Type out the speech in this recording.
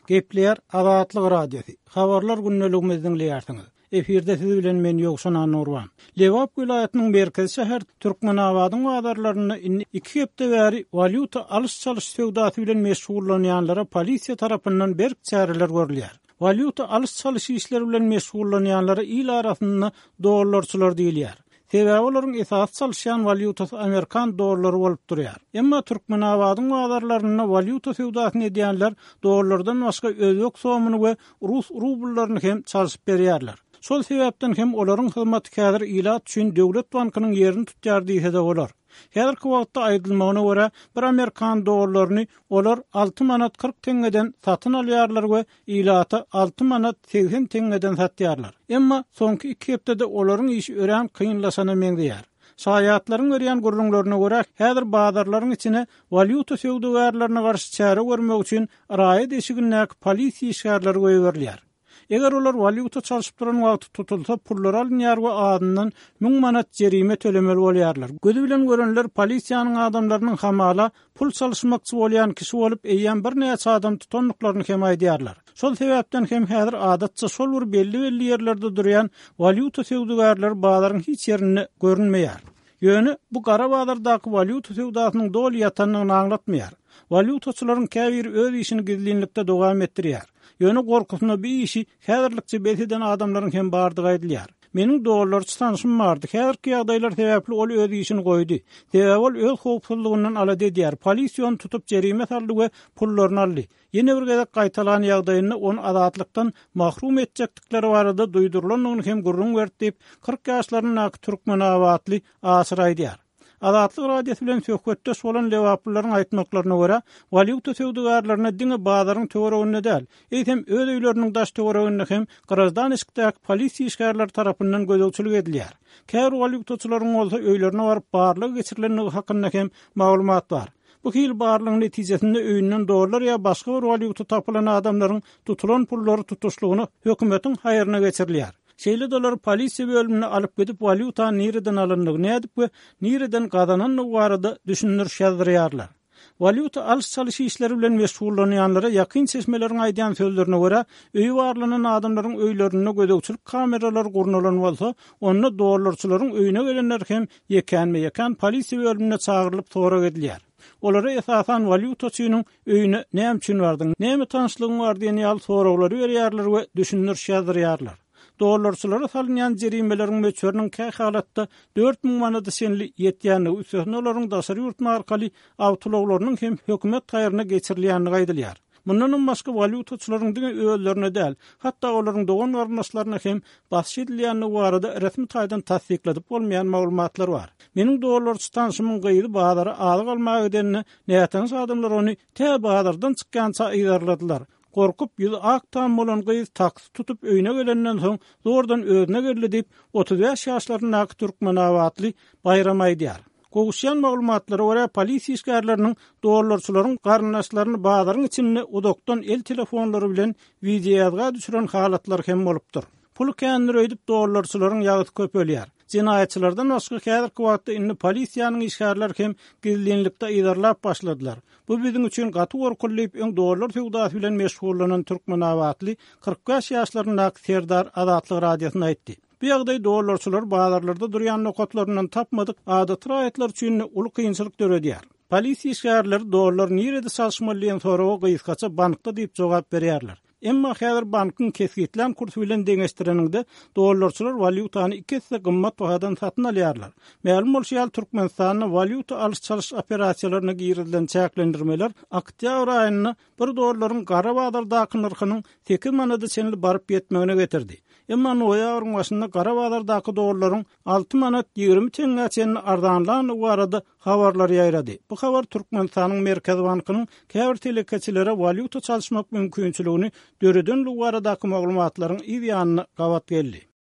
Gepleýär Azatlyk Radiosy, Habarlar gündeligimizi diňleýärsiňiz. Efirde siz bilen men Ýowşan Annagurban. Lebap welaýatynyň merkezi şäheri Türkmenabadyň bazarlarynda indi iki hepde bäri walýuta alyş-çalyş söwdasy bilen meşgullanýanlara polisiýa tarapyndan berk çäreler görülýär. Walýuta alyş-çalyş işleri bilen meşgullanýanlara il arasynda dollarçylar diýilýär. Sebäbi olaryň esasy çalyşýan walýutasy amerikan dollary bolup durýar. Emma Türkmenabadyň bazarlarynda walýuta söwdasyny edýänler dollardan başga özbek somyny we rus rubllaryny hem çalşyp berýärler. Şol sebäpden hem olaryň hyzmaty häzir ilat üçin döwlet bankynyň ýerini tutýar diýse-de bolar. Häzirki wagtda aýdylmagyna görä, bir amerikan dollaryny olar alty manat 40 teňňeden satyn alýarlar we ilata alty manat 80 teňňeden satýarlar. Emma soňky iki hepdede olaryň işi örän kynlaşana meňzeýär. Şaýatlaryň berýän gürrüňlerine görä, häzir bazarlaryň içine walýuta söwdagärlerine garşy çäre görmek üçin raýat eşigindäki polisiýa işgärleri goýberilýär. Eger olar walýuta çalşyp duran wagty tutulsa, pullary alynýar we azyndan müň manat jerime tölemeli bolýarlar. Gözi bilen görenler polisiýanyň adamlarynyň hamala pul çalyşmakçy bolýan kişi bolup, eýýäm birnäçe adam tutandyklaryny hem aýdýarlar. Şol sebäpden hem häzir adatça şol bir belli-belli ýerlerde durýan walýuta söwdagärleri bazaryň hiç ýerinde görünmeýär. Ýöne bu gara bazardaky walýuta söwdasynyň doly ýatandygyny aňlatmaýar. Walýutaçylaryň käbiri öz işini gizlinlikde dowam etdirýär. Ýöne gorkusyna bu işi häzirlikçe bes eden adamlaryň hem bardygy aýdylýar. Meniň dollarçy tanşym bardy. Häzirki ýagdaýlar sebäpli ol öz işini goýdy. Sebäbi ol öz howpsuzlygyndan alada edýär. Polisiýa ony tutup jerime saldy we pullaryny aldy. Ýene bir gezek gaýtalan ýagdaýynda ony azatlykdan mahrum etjekdikleri barada duýdurylandygyny hem gürrüň berdi diýip, 40 ýaşlaryndaky türkmenabatly Aşyr aýdýar. Azatlyk Radiosy bilen söhbetdeş bolan lebaplylaryň aýtmaklaryna görä, walýuta söwdagärlerine diňe bazaryň töwereginde däl, eýsem öz öýleriniň daş-töwereginde hem graždan eşikdäki polisiýa işgärleri tarapyndan gözegçilik edilýär. Käbir walýutaçylaryň bolsa öýlerine baryp barlag geçirilendigi hakynda hem maglumat bar. Bu hili barlagyň netijesinde öýünden dollar ýa başga bir walýuta tapylan adamlaryň tutulan pullary tutuşlygyna hökümetiň haýryna geçirilýär. Şeýle-de olary polisiýa bölümine alyp gidip walýutany nireden alandygy, nädip we nireden gazanandygy barada düşündiriş ýazdyrýarlar. Walýuta alyş-çalyş işleri bilen meşgullanýanlara ýakyn çeşmeleriň aýdýan sözlerine görä, öýi barlanan adamlaryň öýlerinde gözegçilik kameralary gurnalan bolsa, onda dollarçylaryň öýüne gelenler hem ýekänme-ýekän polisiýa bölümine çagyrylyp sorag edilýär. Olara esasan walýutaçynyň öýüne näme üçin bardyň, näme tanyşlygyň bar diýen ýaly soraglary berýärler we düşündiriş ýazdyrýarlar. Dollarçylara salynýan jerimeleriň möçberiniň kähalatda 4000 manada çenli ýetýändigi, üstesine olaryň daşary ýurt markaly awtoulaglarynyň hem hökümet haýryna geçirilýändigi aýdylýar. Mundanam başga walýutaçylaryň diňe özlerine däl, hatda olaryň dogan-garyndaşlaryna hem basyş edilýändigi barada resmi taýdan tassykladyp bolmaýan maglumatlar bar. Meniň dollarçy tanşymyň gyzy bazara azyk almaga gidende, nätanyş adamlar ony tä bazardan çykýança yzarladylar. Gorkup, ýüzi ak tam bolan gyz taksi tutup öýüne gelenden soň zordan özüne geldi diýip, 35 ýaşlaryndaky türkmenabatly Baýram aýdýar. Gowuşýan maglumatlara görä, polisiýa işgärleriniň dollarçylaryň garyndaşlaryny bazaryň içinde uzakdan el telefonlary bilen wideoýazga düşüren halatlary hem bolupdyr. Puly kändir öýdüp dollarçylaryň ýagysy köpelýär. Jenaýatçylardan başga häzirki wagtda indi polisiýanyň işgärleri hem gizlinlikde yzarlap başladylar. Bu biziň üçin gaty gorkuly diýip, öň dollar söwdasy bilen meşgullanan türkmenabatly 45 ýaşlaryndaky Serdar Azatlyk Radiosyna aýtdy. Bu ýagdaý dollarçylary bazarlarda durýan nokatlaryndan tapmadyk adaty raýatlar üçin-de uly kynçylyk döredýär. Polisiýa işgärleri dollar nirede çalyşmaly diýen soraga gysgaça bankda diýip jogap berýärler. Emma häzir bankyň kesgitlän kursy bilen deňeşdireniňde dollarçylar walýutany iki esse gymmat bahadan satyn alýarlar. Mälim bolşy ýaly, Türkmenistanda walýuta alyş-çalyş operasiýalaryna girizilen çäklendirmeler oktýabr aýynda bir dollaryň gara bazardaky nyrhynyň sekiz manada çenli baryp ýetmegine getirdi. Emma noýabryň başynda gara bazardaky dollaryň alty manat 20 teňňä çenli arzanlandygy barada habarlar ýaýrady. Bu habar Türkmenistanyň Merkezi bankynyň käbir telekeçilere walýuta çalyşmak mümkinçiligini döredenligi baradaky maglumatlaryň yz ýanyna gabat geldi.